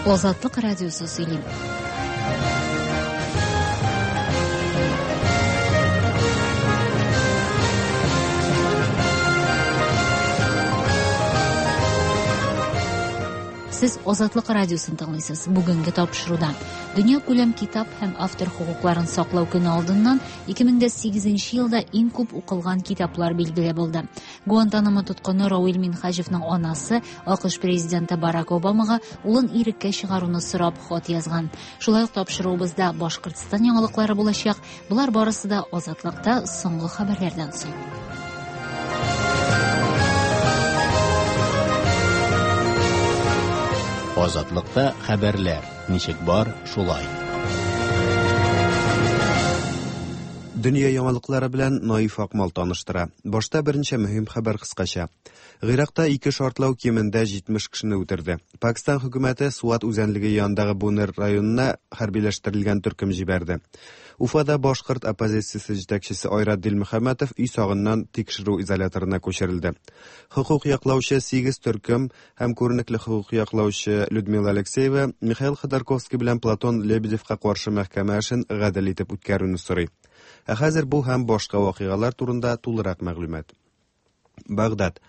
Азатлык радиосы сөйли. Сез Азатлык радиосын тыңлыйсыз. Бүгенге тапшыруда Дөнья күләм китап һәм автор хокукларын саклау көне алдыннан 2008 елда иң күп укылган китаплар билгеле булды. Гуантанамо тоткыны Рауил Минһаҗевның анасы АКШ президенты Барак Обамага улын иреккә чыгаруны сорап хат язган. Шулай ук тапшыруыбызда Башкортстан яңалыклары булачак. Болар барысы да Азатлыкта соңгы хәбәрләрдән соң. Азатлыкта хәбәрләр ничек бар, шулай. Дөнья яңалыклары белән Наиф Акмал таныштыра. Башта берничә мөһим хәбәр кыскача. Гыйракта ике шартлау кимендә 70 кешене үтерде. Пакистан хөкүмәте Суат үзәнлеге янындагы Бунер районына хәрбиләштерелгән төркем җибәрде. Уфада башкорт оппозициясе җитәкчесе Айрат Дилмөхәммәтов өй сагыннан тикшерү изоляторына күчерелде. Хокук яклаучы 8 төркем һәм күренекле хокук яклаучы Людмила Алексеева Михаил Ходорковский белән Платон Лебедевка каршы мәхкәмә эшен гадел итеп үткәрүне сорый. Ә хәзер бу һәм башка вакыйгалар турында тулырак мәгълүмат. Багдад.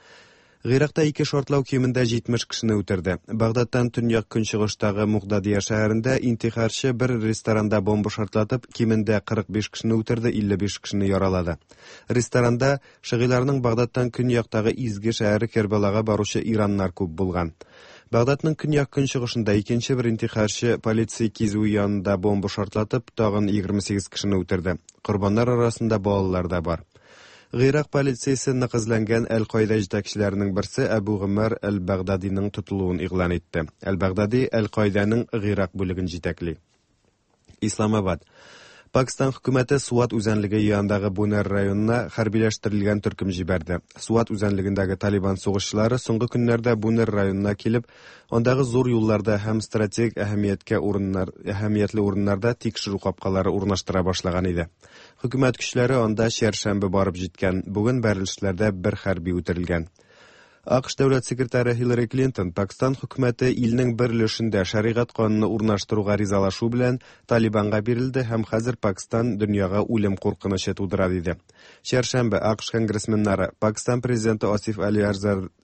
Гыйракта ике шартлау кимендә 70 кешене үтерде. Багдадтан төньяк-көнчыгыштагы Мугдадия шәһәрендә интихарчы бер ресторанда бомба шартлатып, кимендә 45 кешене үтерде, 55 кешене яралады. Ресторанда Шыгыйларның Багдадтан көньяктагы изге шәһәре Кербалага баручы ираннар күп булган. Багдадның көньяк-көнчыгышында икенче бер интихарчы полиция кизүе янында бомба шартлатып, тагын 28 кешене үтерде. Корбаннар арасында балалар да бар. Гыйрак полициясе нык эзләнгән Әл-Каида җитәкчеләренең берсе Әбу Гомәр әл-Бәгъдадиның тотылуын игълан итте. Әл-Бәгъдади Әл-Каиданың Гыйрак бүлеген җитәкли. Исламабад. Пакистан хөкүмәте Суат үзәнлеге янындагы Бунер районына хәрбиләштерелгән төркем җибәрде. Суат үзәнлегендәге Талибан сугышчылары соңгы көннәрдә Бунер районына килеп, андагы зур юлларда һәм стратегик әһәмияткә урыннар, әһәмиятле урыннарда тикшерү капкалары урнаштыра башлаган иде. Хөкүмәт көчләре анда чәршәмбе барып җиткән. Бүген бәрелешләрдә бер хәрби үтерелгән. АКШ дәүләт секретаре Хиллари Клинтон Пакстан хөкүмәте илнең бер өлешендә шәригать кануны урнаштыруга ризалашу белән Талибанга бирелде һәм хәзер Пакстан дөньяга үлем куркынычы тудыра диде. Чәршәмбе АКШ конгрессменнары Пакстан президенты Асиф Али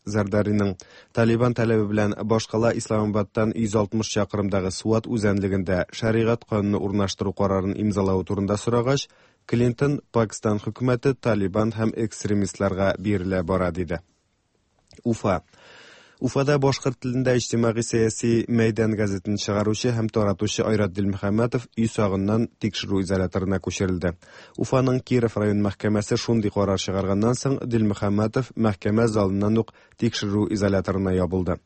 Зардариның Талибан таләбе белән башкала Исламабадтан 160 чакрымдагы Суат үзәнлегендә шәригать кануны урнаштыру карарын имзалавы турында сорагач, Клинтон Пакстан хөкүмәте Талибан һәм экстремистларга бирелә бара диде. Уфа. Уфада башкорт телендә иҗтимагый-сәяси Мәйдан газетын чыгаручы һәм таратучы Айрат Дилмөхәммәтов өй сагыннан тикшерү изоляторына күчерелде. Уфаның Киров район мәхкәмәсе шундый карар чыгарганнан соң Дилмөхәммәтов мәхкәмә залыннан ук тикшерү изоляторына ябылды.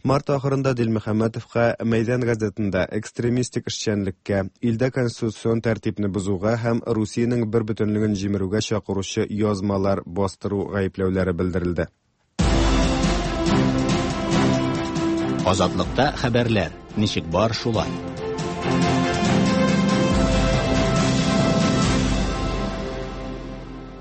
Март ахырында Дилмөхәммәтовка Мәйдан газетында экстремистик эшчәнлеккә, илдә конституцион тәртипне бозуга һәм Русиянең бербөтенлеген җимерүгә чакыручы язмалар бастыру гаепләүләре белдерелде. Азатлыкта хәбәрләр ничек бар, шулай.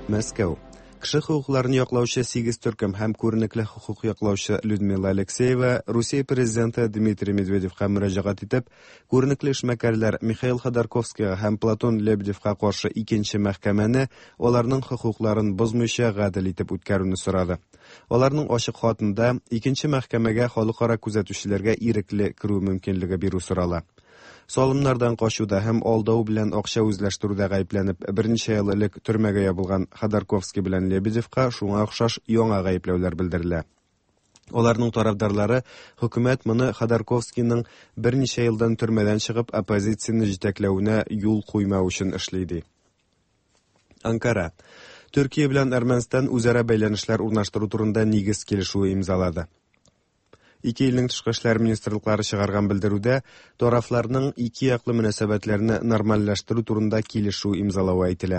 Мәскәү. Кеше хокукларын яклаучы сигез төркем һәм күренекле хокук яклаучы Людмила Алексеева Русия президенты Дмитрий Медведевка мөрәҗәгать итеп, күренекле эшмәкәрләр Михаил Ходорковскийга һәм Платон Лебедевка каршы икенче мәхкәмәне аларның хокукларын бозмыйча гадел итеп үткәрүне сорады. Аларның ачык хатында икенче мәхкәмәгә халыкара күзәтүчеләргә ирекле керү мөмкинлеге бирү сорала. Салымнардан качуда һәм алдау белән акча үзләштерүдә гаепләнеп, берничә ел элек төрмәгә ябылган Ходорковский белән Лебедевка шуңа охшаш яңа гаепләүләр белдерелә. Аларның тарафдарлары хөкүмәт моны Ходорковскийның берничә елдан төрмәдән чыгып оппозицияне җитәкләвенә юл куймау өчен эшли ди. Анкара. Төркия белән Әрмәнстан үзара бәйләнешләр урнаштыру турында нигез килешүе имзалады. Ике илнең тышкы эшләр министрлыклары чыгарган белдерүдә тарафларның ике яклы мөнәсәбәтләрне нормальләштерү турында килешү имзалавы әйтелә.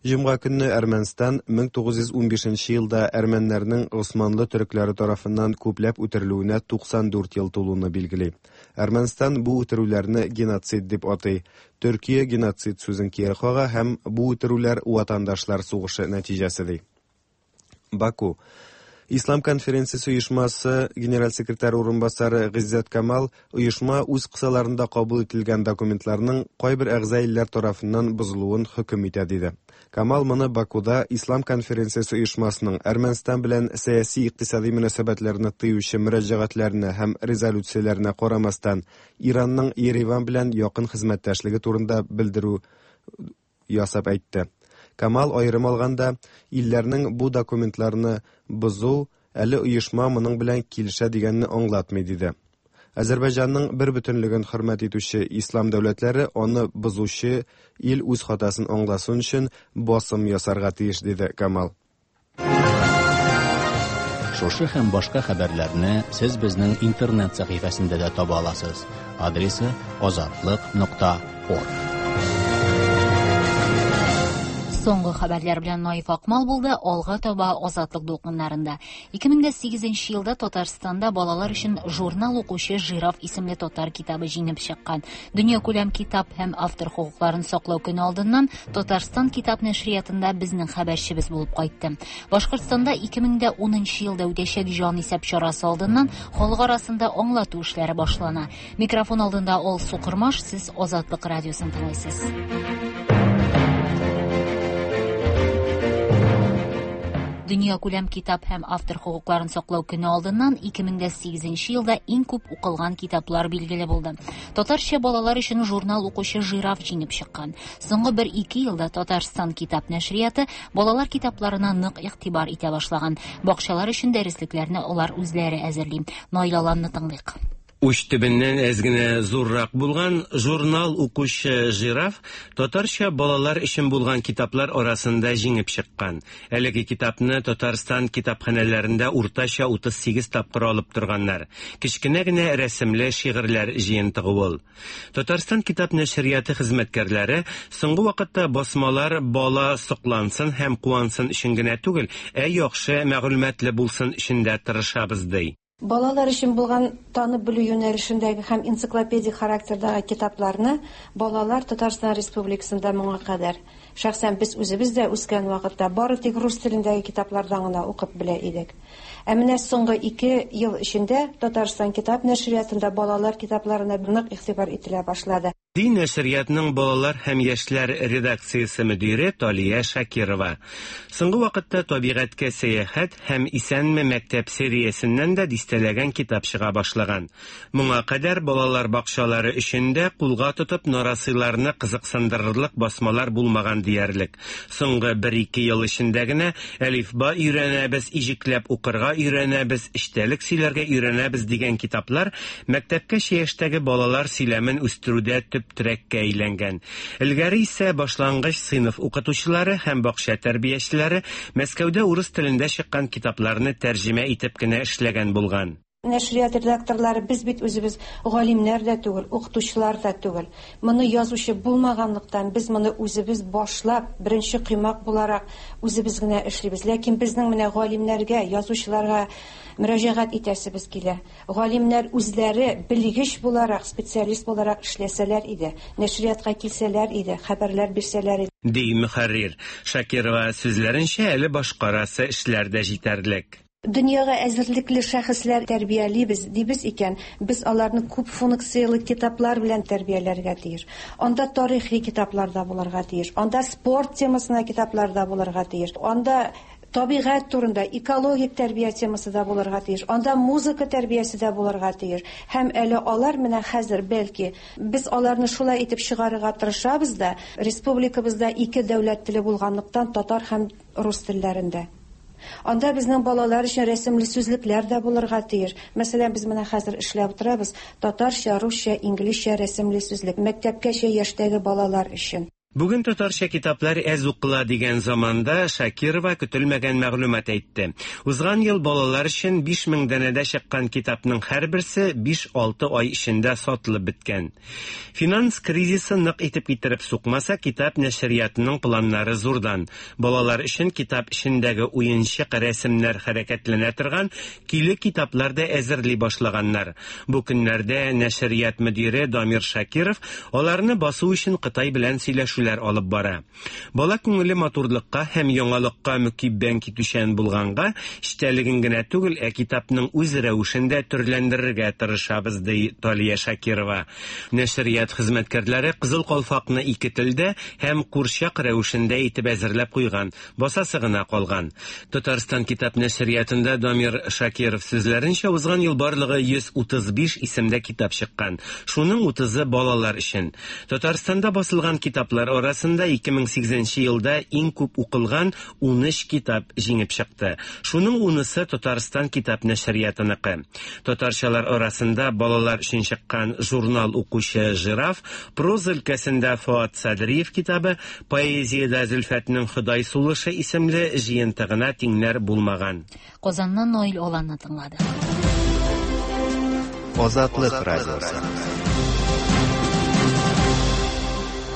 Җомга көнне Әрмәнстан 1915 елда әрмәннәрнең Госманлы төрекләре тарафыннан күпләп үтерелүенә 94 ел тулуны билгели. Әрмәнстан бу үтерүләрне геноцид дип атый. Төркия геноцид сүзен кире кага һәм бу үтерүләр ватандашлар сугышы нәтиҗәсе ди. Баку. Ислам конференциясе оешмасы генераль секретаре урынбасары Гыйззәт Камал оешма үз кысаларында кабул ителгән документларның кайбер әгъза илләр тарафыннан бозылуын хөкем итә диде. Камал моны Бакуда Ислам конференциясе оешмасының Әрмәнстан белән сәяси-икътисади мөнәсәбәтләрне тыючы мөрәҗәгатьләренә һәм резолюцияләренә карамастан Иранның Ереван белән якын хезмәттәшлеге турында белдерү ясап әйтте. Камал аерым алганда, илләрнең бу документларны бозу әле оешма моның белән килешә дигәнне аңлатмый диде. Азәрбайҗанның бер бөтенлеген хөрмәт итүче ислам дәүләтләре аны бозучы ил үз хатасын аңласын өчен басым ясарга тиеш диде Камал. Шушы һәм башка хәбәрләрне сез безнең интернет сәхифәсендә дә таба аласыз. Адресы azatliq.org. Соңгы хәбәрләр белән Наиф Акмал булды. Алга таба Азатлык дулкыннарында. 2008 елда Татарстанда балалар өчен журнал укучы Жираф исемле татар китабы җиңеп чыккан. Дөньякүләм китап һәм автор хокукларын саклау көне алдыннан Татарстан китап нәшриятында безнең хәбәрчебез булып кайтты. Башкортстанда 2010 елда үтәчәк җанисәп чарасы алдыннан халык арасында аңлату эшләре башлана. Микрофон алдында Алсу Кормаш, сез Азатлык радиосын тыңлыйсыз. Дөньякүләм китап һәм автор хокукларын саклау көне алдыннан 2008 елда иң күп укылган китаплар билгеле булды. Татарча балалар өчен журнал укучы Жираф җиңеп чыккан. Соңгы бер-ике елда Татарстан китап нәшрияты балалар китапларына нык игътибар итә башлаган. Бакчалар өчен дәреслекләрне алар үзләре әзерли. Наил Аланны тыңлыйк. Уч төбеннән әз генә зуррак булган журнал укучы Жираф татарча балалар өчен булган китаплар арасында җиңеп чыккан. Әлеге китапны Татарстан китапханәләрендә уртача 38 тапкыр алып торганнар. Кечкенә генә рәсемле шигырьләр җыентыгы ул. Татарстан китап нәшрияты хезмәткәрләре соңгы вакытта басмалар бала соклансын һәм куансын өчен генә түгел, ә яхшы мәгълүматлы булсын өчен дә тырышабыз ди. Балалар өчен булган танып белү юнәлешендәге һәм энциклопедик характердагы китапларны балалар Татарстан Республикасында моңа кадәр, шәхсән без үзебез дә үскән вакытта бары тик рус телендәге китаплардан гына укып белә идек. Ә менә соңгы 2 ел эчендә Татарстан китап нәшриятында балалар китапларына нык игътибар ителә башлады. Ди нәшриятның балалар һәм яшьләр редакциясе мөдире Талия Шакирова. Соңгы вакытта табигатькә сәяхәт һәм Исәнме мәктәп сериясеннән дә дистәләгән китап чыга башлаган. Моңа кадәр балалар бакчалары өчен дә кулга тотып нарасыйларны кызыксындырырлык басмалар булмаган диярлек. Соңгы бер-ике ел эчендә генә әлифба өйрәнәбез, иҗекләп укырга өйрәнәбез, эчтәлек сөйләргә өйрәнәбез дигән китаплар мәктәпкәчә яшьтәге балалар сөйләмен үстерүдә төп терәккә әйләнгән. Элгәре исә башлангыч сыйныф укытучылары һәм бакча тәрбиячеләре Мәскәүдә урыс телендә чыккан китапларны тәрҗемә итеп кенә эшләгән булган. Нәшрият редакторлары без бит үзебез галимнәр дә түгел, укытучылар да түгел. Моны язучы булмаганлыктан без моны үзебез башлап, беренче коймак буларак үзебез генә эшлибез. Ләкин безнең менә галимнәргә, язучыларга мөрәҗәгать итәсебез килә. Галимнәр үзләре белгеч буларак, специалист буларак эшләсәләр иде, нәшриятка килсәләр иде, хәбәрләр бирсәләр иде. Ди мөхәррир. Шакирова сүзләренчә, әле башкарасы эшләр дә җитәрлек. Дөньяга әзерлекле шәхесләр тәрбиялибез дибез икән, без аларны күп функцияле китаплар белән тәрбияләргә тиеш. Анда тарихи китаплар да булырга тиеш, анда спорт темасына китаплар да булырга тиеш, анда табигать турында экологик тәрбия темасы да булырга тиеш, анда музыка тәрбиясе дә булырга тиеш. Һәм әле алар менә хәзер бәлки без аларны шулай итеп чыгарырга тырышабыз да, республикабызда ике дәүләт теле булганлыктан татар һәм рус телләрендә. Анда безнең балалар өчен рәсемле сүзлекләр дә булырга тиеш. Мәсәлән, без менә хәзер эшләп утырабыз татарча, русча, инглизчә рәсемле сүзлек мәктәпкәчә яшьтәге балалар өчен. Бүген татарча китаплар әз укыла дигән заманда Шакирова көтелмәгән мәгълүмат әйтте. Узган ел балалар өчен 5000 данәдә чыккан китапның һәрберсе 5-6 ай эчендә сатылып беткән. Финанс кризисы нык итеп китереп сукмаса, китап нәшриятының планнары зурдан. Балалар өчен китап эчендәге уенчык рәсемнәр хәрәкәтләнә торган киле китаплар да әзерли башлаганнар. Бу көннәрдә нәшрият мөдире Дамир Шакиров аларны басу өчен Кытай белән сөйләшү сөйләшүләр алып бара. Бала күңеле матурлыкка һәм яңалыкка мөкиббән китүчән булганга, эчтәлеген генә түгел, ә китапның үз рәвешен дә төрләндерергә тырышабыз, ди Талия Шакирова. Нәшрият хезмәткәрләре Кызыл калфакны ике телдә һәм курчак рәвешендә итеп әзерләп куйган, басасы гына калган. Татарстан китап нәшриятында Дамир Шакиров сүзләренчә, узган ел барлыгы 135 исемдә китап чыккан. Шуның 30-ы балалар өчен. Татарстанда басылган китаплар арасында 2008 елда иң күп укылган 13 китап җиңеп чыкты. Шуның 10-ысы Татарстан китап нәшриятыныкы. Татарчалар арасында балалар өчен чыккан журнал укучы Жираф, проза өлкәсендә Фоат Садриев китабы, поэзиядә Зөлфәтнең Ходай сулышы исемле җыентыгына тиңнәр булмаган. Казаннан Наил Аланны тыңлады. Азатлык радиосы.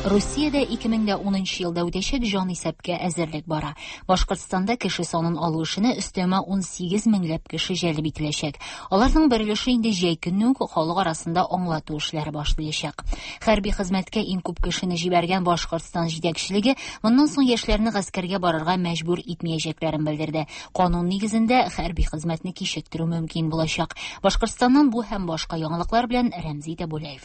Русиядә 2010 елда үтәчәк җанисәпкә әзерлек бара. Башкортстанда кеше санын алу эшенә өстәмә 18 меңләп кеше җәлеп ителәчәк. Аларның бер өлеше инде җәй көне үк халык арасында аңлату эшләре башлаячак. Хәрби хезмәткә иң күп кешене җибәргән Башкортстан җитәкчелеге моннан соң яшьләрне гаскәргә барырга мәҗбүр итмәячәкләрен белдерде. Канун нигезендә хәрби хезмәтне кичектерү мөмкин булачак. Башкортстаннан бу һәм башка яңалыклар белән Рәмзи Тәбүләев.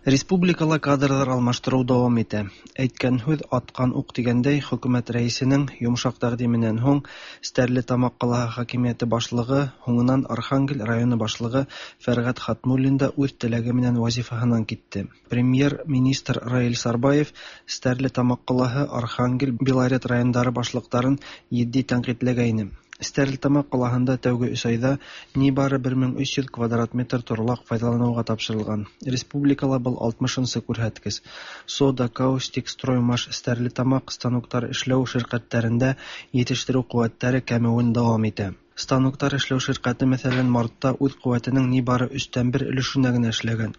Республикала кадрлар алмаштыру дәвам итә. Әйткән һүҙ аткан уҡ тигәндәй, хөкүмәт рәйесенең йомшаҡ тәҡдименән һуң Стәрлетамаҡ ҡалаһы хакимиәте башлығы, һуңынан Архангел районы башлығы Фәрғәт Хатмуллин да үҙ теләге менән вазифаһынан китте. Премьер-министр Раил Сарбаев Стәрлетамаҡ ҡалаһы, Архангел, Белорет райондары башлыҡтарын етди тәнҡитләгәйне. Стәрлетамаҡ ҡалаһында тәүге өс айҙа ни бары 1300 квадрат метр торлаҡ файҙаланыуға тапшырылған. Республикала был 60-нсы күрһәткес. Сода, Каустик, Строймаш, Стәрлетамаҡ станоктар эшләү ширҡәттәрендә етештереү ҡеүәттәре кәмеүен дауам итә. Станоктар эшләү ширҡәте, мәҫәлән, мартта үҙ ҡеүәтенең ни бары 1/3 өлөшөнә генә эшләгән.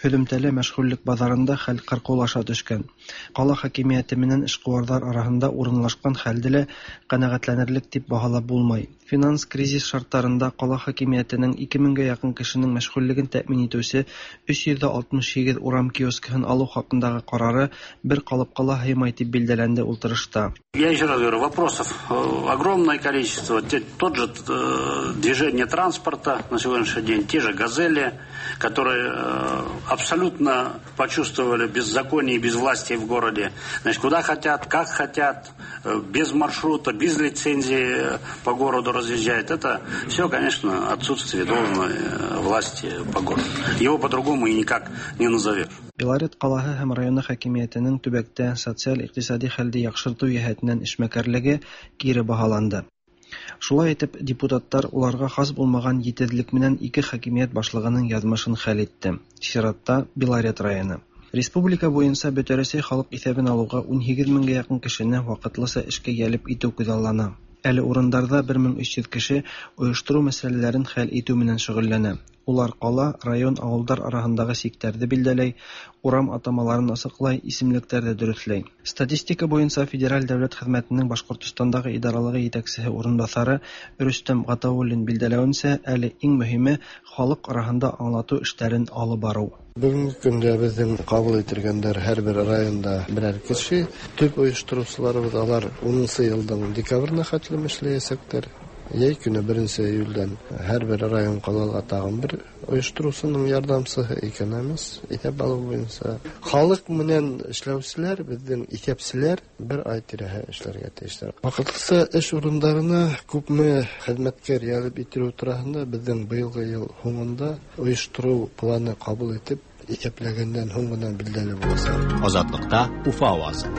Һөҙөмтәлә мәшғүллек баҙарында хәл ҡырҡыулаша төшкән. Ҡала хакимиәте менән эшҡыуарҙар араһында урынлашҡан хәлде лә ҡәнәғәтләнерлек тип баһалап булмай. Финанс кризис шарттарында ҡала хакимиәтенең 2000-гә яҡын кешенең мәшғүллеген тәьмин итеүсе 368 урам киоскаһын алыу хаҡындағы ҡарары бер ҡалыпҡа ла һыймай тип билдәләнде ултырышта. Я еще раз говорю, вопросов огромное количество. Тот же движение транспорта на сегодняшний день, те же «Газели», которые абсолютно почувствовали беззаконие и безвластие в городе. Значит, куда хотят, как хотят, без маршрута, без лицензии по городу разъезжают. Это все, конечно, отсутствие должной власти по городу. Его по-другому и никак не назовешь. Белорет ҡалаһы һәм районы хакимиәтенең төбәктә социаль-иҡтисади хәлде яҡшыртыу йәһәтенән эшмәкәрлеге кире баһаланды. Шулай итеп, депутаттар уларға хас булмаған етеҙлек менән ике хакимиәт башлығының яҙмышын хәл итте. Сиратта Белорет районы. Республика буйынса Бөтә Рәсәй халыҡ иҫәбен алыуға 18 меңгә яҡын кешене ваҡытлыса эшкә йәлеп итеү күҙаллана. Әле урындарҙа 1300 кеше ойоштороу мәсьәләләрен хәл итеү менән шөғөлләнә. Улар ҡала, район, ауылдар араһындағы сиктәрҙе билдәләй, урам атамаларын асыҡлай, исемлектәрҙе дөрөҫләй. Статистика буйынса Федераль дәүләт хеҙмәтенең Башҡортостандағы идаралығы етәксеһе урынбаҫары Рөстәм Ғатауллин билдәләүенсә, әле иң мөһиме халыҡ араһында аңлатыу эштәрен алып барыу. Бөгөнгө көндә беҙҙең ҡабул ителгәндәр һәр бер районда берәр кеше. Төп ойоштороусыларыбыҙ алар 10-нсы йылдың декабренә хәтлем эшләйәсәктәр. Йәй көнө 1 июлдән һәр бер район ҡалала тағын бер ойоштороусының ярҙамсыһы экономист иҫәп алыу буйынса. Халыҡ менән эшләүселәр, беҙҙең иҫәпселәр бер ай тирәһе эшләргә тейештәр. Ваҡытлыса эш урындарына күпме хеҙмәткәр йәлеп ителеү тураһында беҙҙең быйылғы йыл һуңында ойоштороу планы ҡабул итеп, иҫәпләгәндән һуң ғына билдәле буласаҡ. Азатлыҡта Уфа ауазы.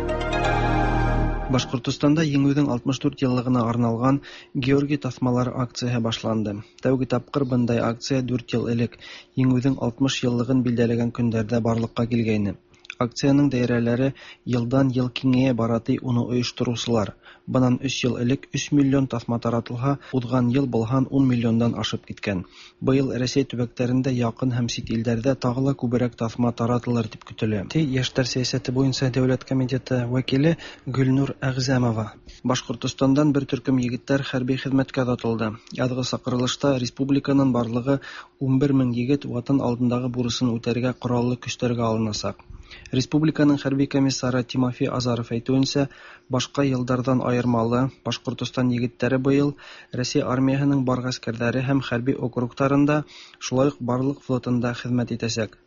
Башҡортостанда Еңеүҙең 64 йыллығына арналған Георгий таҫмалары акцияһы башланды. Тәүге тапҡыр бындай акция 4 йыл элек Еңеүҙең 60 йыллығын билдәләгән көндәрҙә барлыҡҡа килгәйне. Акцияның даирәләре йылдан йыл киңәйә бара, ти уны ойоштороусылар. Бынан 3 йыл элек 3 миллион таҫма таратылһа, уҙған йыл был һан 10 миллиондан ашып киткән. Быйыл Рәсәй төбәктәрендә, яҡын һәм сит илдәрҙә тағы ла күберәк таҫма таратылыр тип көтөлә. Ти Йәштәр сәйәсәте буйынса дәүләт комитеты вәкиле Гөлнур Әғзәмова. Башҡортостандан бер төркөм егеттәр хәрби хеҙмәткә оҙатылды. Яҙғы саҡырылышта республиканың барлығы 11 мең егет ватан алдындағы бурысын үтәргә ҡораллы көстәргә алынасаҡ. Республиканың хәрби комиссары Тимофей Азаров әйтүенчә, башка елдардан аермалы, Башкортостан егетләре быел Россия армияһының бар гаскәрләре һәм хәрби округтарында, шулай ук барлык флотында хезмәт итәчәк.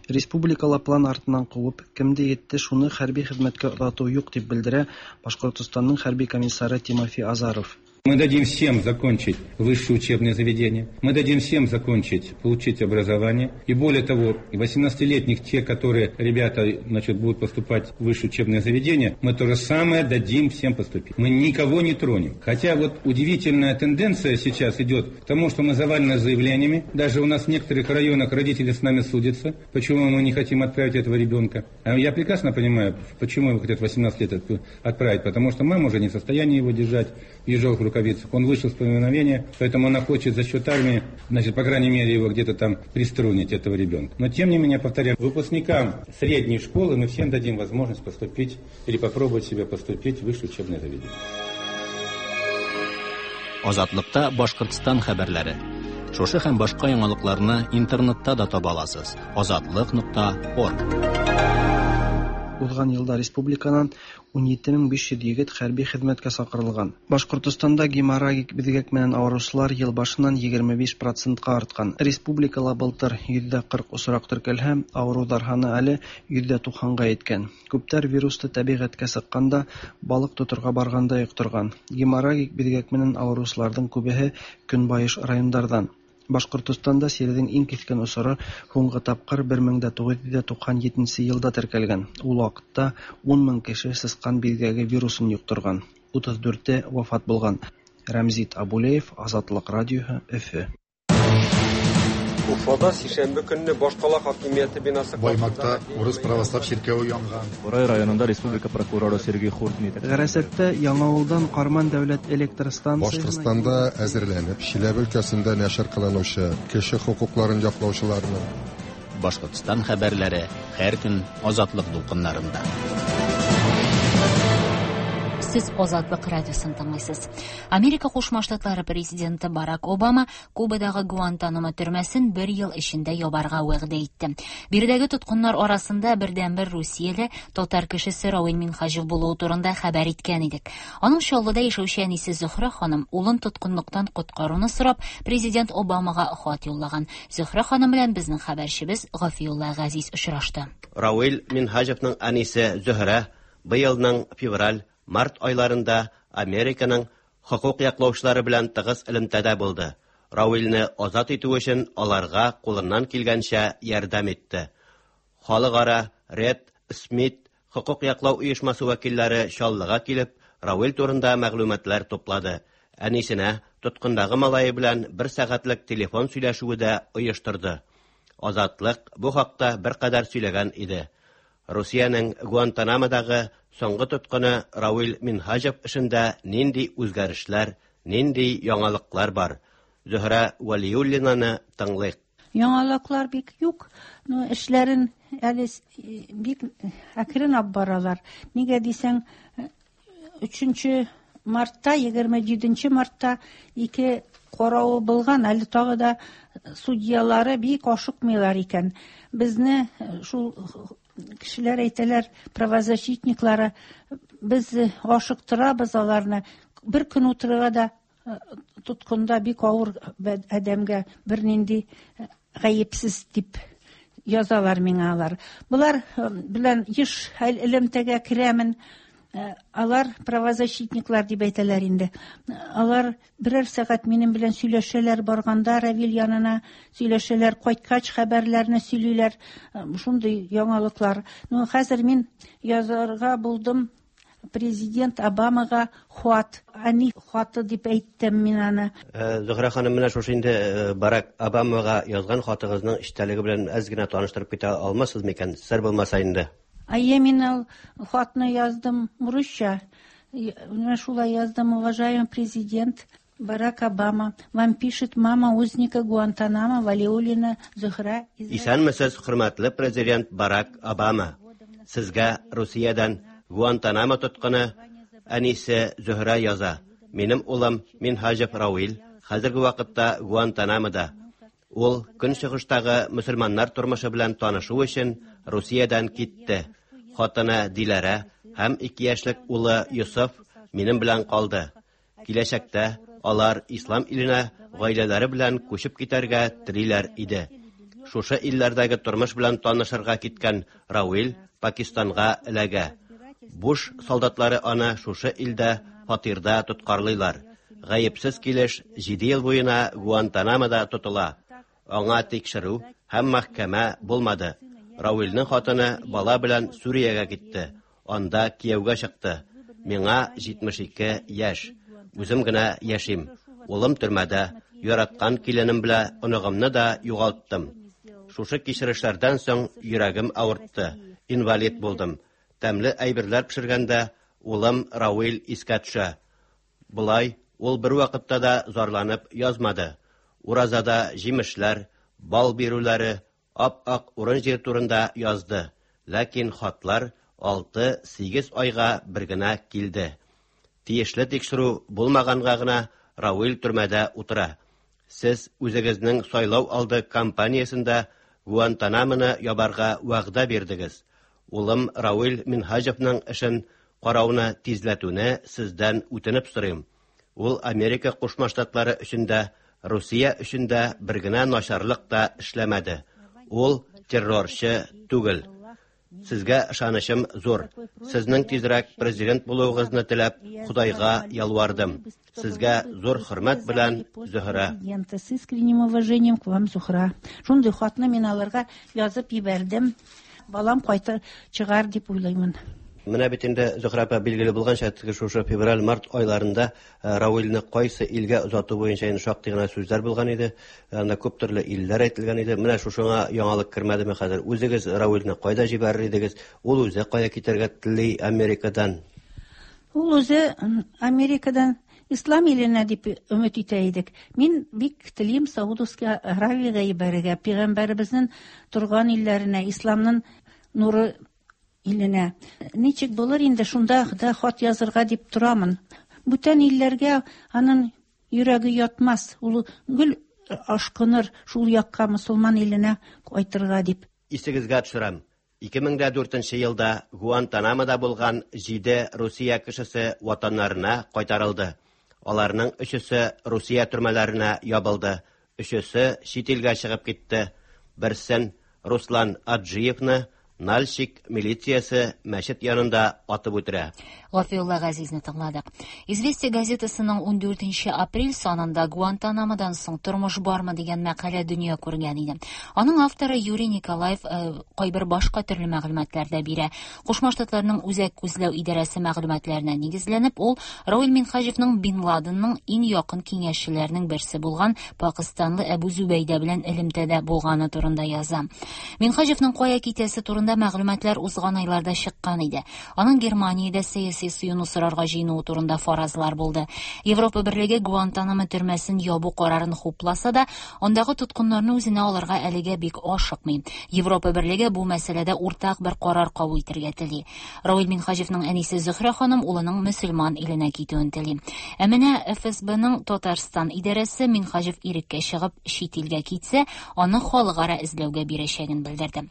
Республикала план артыннан куып, кемде етте шуны хәрби хезмәткә озату юк дип белдерә Башкортостанның хәрби комиссары Тимофей Азаров. Мы дадим всем закончить высшее учебное заведение, мы дадим всем закончить, получить образование. И более того, 18-летних, те, которые ребята, значит, будут поступать в высшее учебное заведение, мы то же самое дадим всем поступить. Мы никого не тронем. Хотя вот удивительная тенденция сейчас идет к тому, что мы завалены заявлениями. Даже у нас в некоторых районах родители с нами судятся, почему мы не хотим отправить этого ребенка. А я прекрасно понимаю, почему его хотят 18 лет отправить, потому что мама уже не в состоянии его держать в ежовых рукавицах. Он вышел с повиновения, поэтому она хочет за счет армии, значит, по крайней мере, его где-то там приструнить, этого ребенка. Но, тем не менее, повторяю, выпускникам средней школы мы всем дадим возможность поступить или попробовать себя поступить в высшее учебное заведение. Азатлыкта Башкортстан хәбәрләре. Шушы һәм башка яңалыкларны интернетта да таба аласыз. Азатлык.орг. Узган елда республиканан 17500 егет хәрби хезмәткә чакырылган. Башкортостанда геморрагик бизгәк менән авыручылар ел башыннан 25%-ка арткан. Республикала былтыр 40% очрак теркәлһә, авырулар һаны әле 90%-га еткән. Күптәр вирусты табигатькә чыкканда, балык тотырга барганда йоктырган. Геморрагик бизгәк менән авыручыларның күбеһе көнбайыш райондардан. Башкортостанда сирҙең иң киҫкен осоро һуңғы тапҡыр 1997 йылда теркәлгән. Ул ваҡытта 10 мең кеше сысҡан биҙгәге вирусын йоҡторған, 34-е вафат булған. Рәмзит Абулеев, Азатлыҡ радиоһы, Өфө. Уфада сишәмбе көнне башкала хакимияте бинасы Баймакта урыс православ чиркәве янган. Бурай районында республика прокуроры Сергей Хуртин Ғәрәсәттә Яңауылдан Карман дәүләт электр станциясына Башкортстанда әзерләнеп, Чиләбе өлкәсендә нәшер кылынучы кеше хокукларын яклаучыларның Башкортстан хәбәрләре һәр көн Азатлык дулкыннарында. Сез Азатлык радиосын тыңлыйсыз. Америка Кушма Штатлары президенты Барак Обама Кубадагы Гуантанамо төрмәсен бер ел эчендә ябарга вәгъдә итте. Биредәге тоткыннар арасында бердәнбер Русияле татар кешесе Равил Минһаҗев булуы турында хәбәр иткән идек. Аның Чаллыда яшәүче әнисе Зөһрә ханым улын тоткынлыктан коткаруны сорап президент Обамага хат юллаган. Зөһрә ханым белән безнең хәбәрчебез Гафиулла Газиз очрашты. Равил Минһаҗевның әнисе Зөһрә быелның февраль март айларында Американың хокук яклаучылары белән тыгыз элемтәдә булды. Равилне азат итү өчен аларга кулыннан килгәнчә ярдәм итте. Халыкара Ред Смит хокук яклау оешмасы вәкилләре Чаллыга килеп, Равил турында мәгълүматлар туплады. Әнисенә тоткындагы малае белән бер сәгатьлек телефон сөйләшүе дә оештырды. Азатлык бу хакта беркадәр сөйләгән иде. Русиянең Гуантанамодагы соңгы тоткыны Равил Минһаҗев эшендә нинди үзгәрешләр, нинди яңалыклар бар? Зөһрә Вәлиуллинаны тыңлыйк. Яңалыклар бик юк, но эшләрен әле бик әкрен алып баралар. Нигә дисәң, 3 мартта, 27 мартта ике каравы булган, әле тагы да судьялары бик ашыкмыйлар икән. Безне шул кешеләр әйтәләр, правозащитниклары, без ашыктырабыз аларны. Бер көн утырырга да тоткында бик авыр адәмгә, бернинди гаепсез дип язалар миңа алар. Булар белән еш элемтәгә керәмен. Алар правозащитниклар дип әйтәләр инде. Алар берәр сәгать минем белән сөйләшәләр, барганда Равил янына сөйләшәләр, кайткач хәбәрләрне сөйлиләр. Шундый яңалыклар. Ну, хәзер мин язарга булдым президент Обамага хат, ани хаты дип әйттем мин аны. Зөһрә ханым, менә шушы инде Барак Обамага язган хатыгызның эчтәлеге белән әз генә таныштырып китә алмассыз микән? Сер булмаса инде. Әйе, мин ул хатны яздым русча. Менә шулай яздым: уважаемый президент Барак Обама, вам пишет мама узника Гуантанамо Валиуллина Зухра. Исәнмесез, хөрмәтле президент Барак Обама. Сезгә Русиядән Гуантанамо тоткыны әнисе Зөһрә яза. Минем улым Минһаҗев Равил хәзерге вакытта Гуантанамода. Ул көнчыгыштагы мөселманнар тормышы белән танышу өчен Русиядән китте. Хатыны Диләрә һәм 2 яшьлек улы Йосыф минем белән калды. Киләчәктә алар ислам иленә гаиләләре белән күчеп китәргә телиләр иде. Шушы илләрдәге тормыш белән танышырга киткән Рауил Пакистанга эләгә. Буш солдатлары аны шушы илдә фатирда тоткарлыйлар. Гаепсез килеш 7 ел буена Гуантанамода тотыла. Аңа тикшерү һәм мәхкәмә булмады. Рауилнең хатыны бала белән Сүриягә китте. Анда кияүгә чыкты. Миңа 72 яшь. Үзем генә яшим. Улым төрмәдә, яраткан киленем белән оныгымны да югалттым. Шушы кичерешләрдән соң йөрәгем авыртты. Инвалид булдым. Тәмле әйберләр пешергәндә улым Рауил искә төшә. Болай ул бервакытта да зарланып язмады. Уразада җимешләр, бал бирүләре, ап-ак урын-җир турында язды. Ләкин хатлар 6-8 айга бер генә килде. Тиешле тикшерү булмаганга гына Рауил төрмәдә утыра. Сез үзегезнең сайлау алды кампаниясендә Гуантанамоны ябарга вәгъдә бирдегез. Улым Рауил Минһаҗевның эшен карауны тизләтүне сездән үтенеп сорыйм. Ул Америка Кушма Штатлары өчен дә, Русия өчен дә бер генә начарлык та эшләмәде. Ул террорчы түгел. Сезгә ышанычым зур. Сезнең тизрәк президент булуыгызны теләп, Худайга ялвардым. Сезгә зур хөрмәт белән, Зөһрә. С искренним уважением к вам, Зухра. Шундый хатны мин аларга язып җибәрдем. Балам кайтыр чыгар дип уйлыймын. Менә бит инде, Зөһрә апа, билгеле булганча, теге шушы февраль-март айларында Рауилне кайсы илгә озату буенча инде шактый гына сүзләр булган иде. Анда күп төрле илләр әйтелгән иде. Менә шушыңа яңалык кермәдеме хәзер? Үзегез Рауилне кайда җибәрер идегез? Ул үзе кая китәргә тели Америкадан? Ул үзе Америкадан Ислам иленә дип өмет итә идек. Мин бик телим Саудовский Аравиягә җибәрергә, пәйгамбәребезнең торган илләренә, исламның нуры иленә. Ничек булыр инде, шунда да хат язырга дип торамын. Бүтән илләргә аның йөрәге ятмас. Ул гел ашкыныр шул якка, мусульман иленә кайтырга дип. Исегезгә төшерәм. 2004 елда Гуантанамода булган 7 Русия кешесе ватаннарына кайтарылды. Аларның өчесе Русия төрмәләренә ябылды, өчесе чит илгә чыгып китте. Берсен, Руслан Аджиевны, Нальчик милициясе мәчет янында атып үтерә. Гафиулла Газизне тыңладык. Известия газетасының 14 апрель санында Гуантанамодан соң тормыш бармы дигән мәкалә дөнья күргән иде. Аның авторы Юрий Николаев кайбер башка төрле мәгълүматлар да бирә. Кушма Штатларның Үзәк күзләү идарәсе мәгълүматларына нигезләнеп, ул Рауил Минһаҗевның Бин Ладенның иң якын киңәшчеләренең берсе булган пакистанлы Әбу Зүбәйдә белән элемтәдә булганы турында яза. Минһаҗевның кая китәсе турында мәгълүматлар узган айларда чыккан иде. Аның Германиядә сәяси сыену сорарга җыенуы турында фаразлар булды. Европа Берлеге Гуантанамо төрмәсен ябу карарын хупласа да, андагы тоткыннарны үзенә алырга әлегә бик ашыкмый. Европа Берлеге бу мәсьәләдә уртак бер карар кабул итәргә тели. Рауил Минһаҗевның әнисе Зөһрә ханым улының мөселман иленә китүен тели. Ә менә ФСБның Татарстан идарәсе Минһаҗев иреккә чыгып чит илгә китсә, аны халыкара эзләүгә бирәчәген белдерде.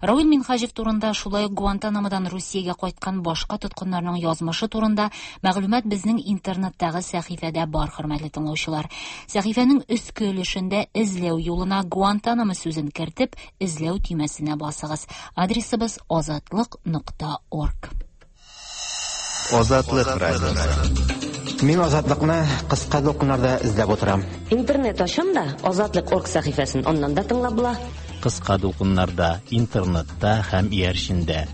Рауил Минһаҗев турында, шулай ук Гуантанамодан Русиягә кайткан башка тоткыннарның язмышы турында мәгълүмат безнең интернеттагы сәхифәдә бар, хөрмәтле тыңлаучылар. Сәхифәнең өске өлешендә эзләү юлына Гуантанамо сүзен кертеп, эзләү төймәсенә басыгыз. Адресыбыз азатлык.орг. Азатлык радиосы. Мин Азатлыкны кыска дулкыннарда эзләп утырам. Интернет ачам да, Азатлык.орг сәхифәсен аннан да тыңлап була. Кыска дулкыннарда, интернетта һәм иярчендә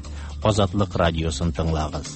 Азатлык радиосын тыңлагыз.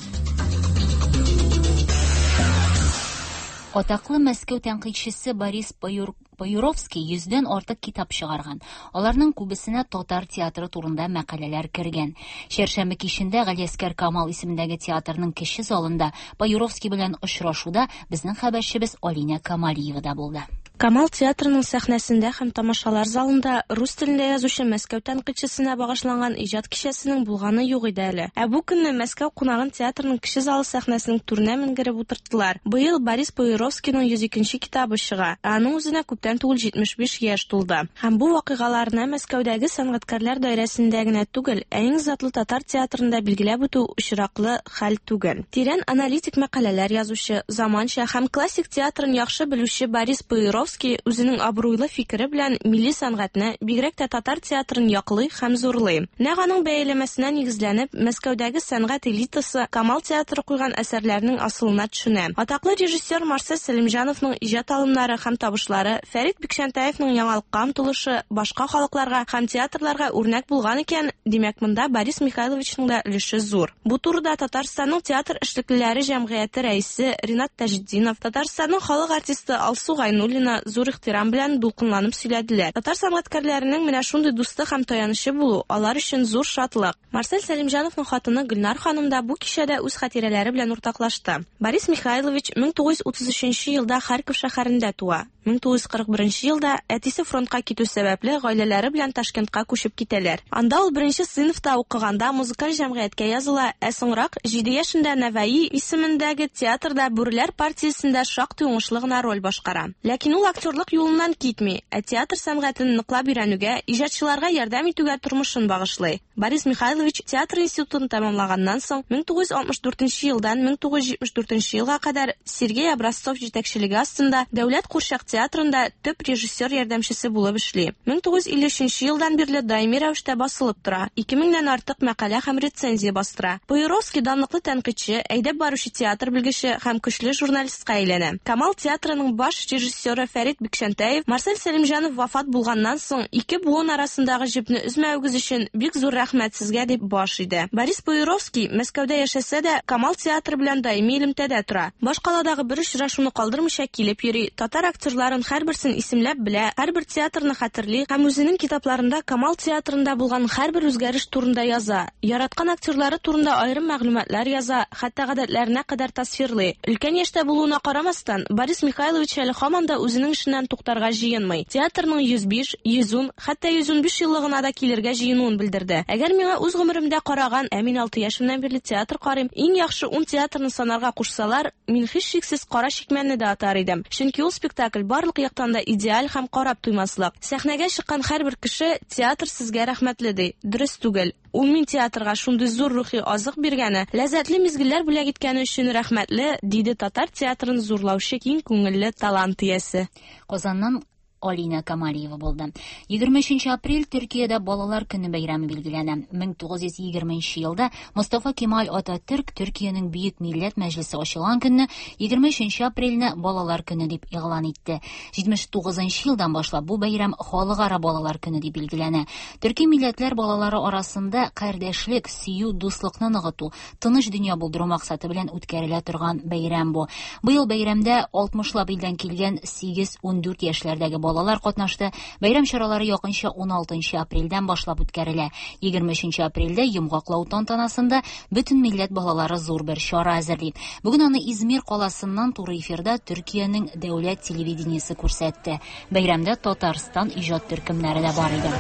Атаклы Мәскәү тәнкыйтьчесе Борис Паюровский 100дән артык китап чыгарган. Аларның күбесенә татар театры турында мәкаләләр кергән. Чәршәмбе кичендә Галиәскәр Камал исемендәге театрның кече залында Паюровский белән очрашуда безнең хәбәрчебез Алинә Камалиева да булды. Камал театрының сәхнәсендә һәм тамашалар залында рус телендә язучы Мәскәү тәнкыйтьчесенә багышланган иҗат кичәсенең булганы юк иде әле. Ә бу көнне Мәскәү кунагын театрның кече залы сәхнәсенең түренә менгереп утырттылар. Быел Борис Пуировскийның 102 нче китабы чыга, ә аның үзенә күптән түгел 75 яшь тулды. Һәм бу вакыйгаларны Мәскәүдәге сәнгатькәрләр даирәсендә генә түгел, ә иң затлы татар театрында билгеләп үтү очраклы хәл түгел. Тирән аналитик мәкаләләр язучы, заманча һәм классик театрын яхшы белүче Борис Пуировский үзенең абруйлы фикере белән милли сәнгатьне, бигрәк тә татар театрын яклый һәм зурлый. Нәкъ аның бәяләмәсенә нигезләнеп, Мәскәүдәге сәнгать элитасы Камал театры куйган әсәрләрнең асылына төшенә. Атаклы режиссер Марсель Сәлимҗановның иҗат алымнары һәм табышлары, Фәрит Бикчәнтәевның яңалыкка омтылышы башка халыкларга һәм театрларга үрнәк булган икән, димәк, монда Борис Михайловичның да өлеше зур. Бу турыда Татарстанның театр эшлеклеләре җәмгыяте рәисе Ринат Таҗетдинов, Татарстанның халык артисты Алсу Гайнуллина зур ихтирам белән дулкынланып сөйләделәр. Татар сәнгатькәрләренең менә шундый дусты һәм таянычы булу, алар өчен зур шатлык. Марсель Сәлимҗановның хатыны Гөлнар ханым да бу кичәдә үз хатирәләре белән уртаклашты. Борис Михайлович 1933 елда Харьков шәһәрендә туа. 1941 елда, әтисе фронтка китү сәбәпле, гаиләләре белән Ташкентка күчеп китәләр. Анда ул беренче сыйныфта укыганда музыкаль җәмгыятькә языла, ә соңрак, җиде яшендә Нәваи исемендәге театрда Бүреләр партиясендә шактый уңышлы гына роль башкара. Ләкин ул актерлык юлыннан китми, ә театр сәнгатен ныклап өйрәнүгә, иҗатчыларга ярдәм итүгә тормышын багышлый. Борис Михайлович театр институтын тәмамлаганнан соң, 1964 елдан 1974 елга кадәр Сергей Образцов җитәкчелеге астында Дәүләт курчак театрында төп режиссер ярдәмчесе булып эшли. 1953 елдан бирле даими рәвештә басылып тора, 2000 нән артык мәкалә һәм рецензия бастыра. Пуировский данлыклы тәнкыйтьче, әйдәп баручы театр белгече һәм көчле журналистка әйләнә. Камал театрының баш режиссеры Фәрит Бикчәнтәев Марсель Сәлимҗанов вафат булганнан соң, ике буын арасындагы җепне өзмәвегез өчен бик зур рәхмәт сезгә, дип баш иде. Борис Пуировский, Мәскәүдә яшәсә дә, Камал театры белән даими элемтәдә тора. Башкаладагы бер очрашуны калдырмыйча килеп йөри, татар актерларын һәрберсен исемләп белә, һәрбер театрны хәтерли һәм үзенең китапларында Камал театрында булган һәрбер үзгәреш турында яза. Яраткан актерлары турында аерым мәгълүматлар яза, хәтта гадәтләренә кадәр тасвирлый. Өлкән яшьтә булуына карамастан, Борис Михайлович әле һаман да үзенең эшеннән туктарга җыенмый. Театрның 105, 110, хәтта 115 еллыгына да килергә җыенуын белдерде. Әгәр миңа үз гомеремдә караган, ә мин алты яшемнән бирле театр карыйм, иң яхшы ун театрны санарга кушсалар, мин һичшиксез Кара чикмәнне дә атар идем. Чөнки ул спектакль барлык яктан да идеаль һәм карап туймаслык. Сәхнәгә чыккан һәрбер кеше, Театр сезгә рәхмәтле, ди. Дөрес түгел. Ул мин театрга шундый зур рухи азык биргәне, ләззәтле мизгелләр бүләк иткәне өчен рәхмәтле, диде татар театрын зурлаучы киң күңелле талант иясе. Казаннан Алинә Камалиева булды. 23 апрель Төркиядә Балалар көне бәйрәме билгеләнә. 1920 елда Мостафа Кемаль Ататөрк Төркиянең Бөек Милләт Мәҗлесе ачылган көнне 23 апрельне Балалар көне дип игълан итте. 79 елдан башлап бу бәйрәм Халыкара балалар көне дип билгеләнә. Төрки милләтләр балалары арасында кардәшлек, сөю, дуслыкны ныгыту, тыныч дөнья булдыру максаты белән үткәрелә торган бәйрәм бу. Быел бәйрәмдә 60 лап илдән килгән 8-14 яшьләрдәге балалар катнашты. Бәйрәм чаралары якынча 16 апрельдән башлап үткәрелә. 23 апрельдә йомгаклау тантанасында бөтен милләт балалары зур бер чара әзерли. Бүген аны Измир каласыннан туры эфирда Төркиянең дәүләт телевидениесе күрсәтте. Бәйрәмдә Татарстан иҗат төркемнәре дә бар иде.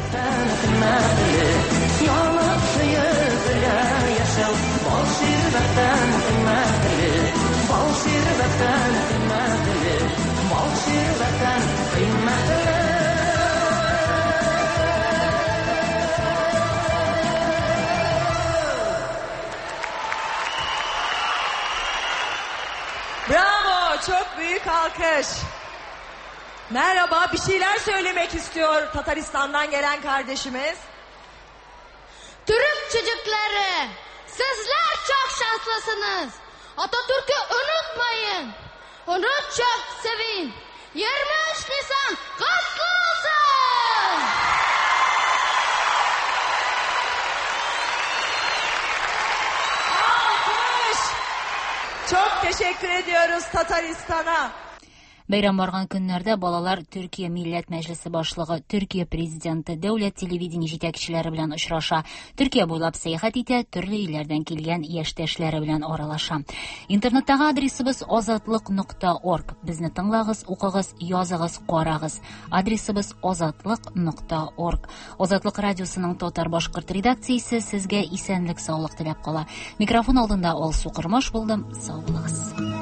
Bravo, çok büyük alkış. Merhaba, bir şeyler söylemek istiyor Tataristan'dan gelen kardeşimiz. Türk çocukları, sizler çok şanslısınız. Atatürk'ü unutmayın. Onu çok sevin. 23 Nisan kutlu olsun! Alkış! Çok teşekkür ediyoruz Tataristan'a. Бәйрәм барган көннәрдә балалар Төркия Милләт Мәҗлесе башлыгы, Төркия президенты, дәүләт телевидение җитәкчеләре белән очраша, Төркия буйлап сәяхәт итә, төрле илләрдән килгән яшьтәшләре белән аралаша. Интернеттагы адресыбыз азатлык.орг. Безне тыңлагыз, укыгыз, языгыз, карагыз. Адресыбыз азатлык.орг. Азатлык радиосының татар-башкорт редакциясе сезгә исәнлек-саулык теләп кала. Микрофон алдында Алсу Кормаш булдым. Сау булыгыз.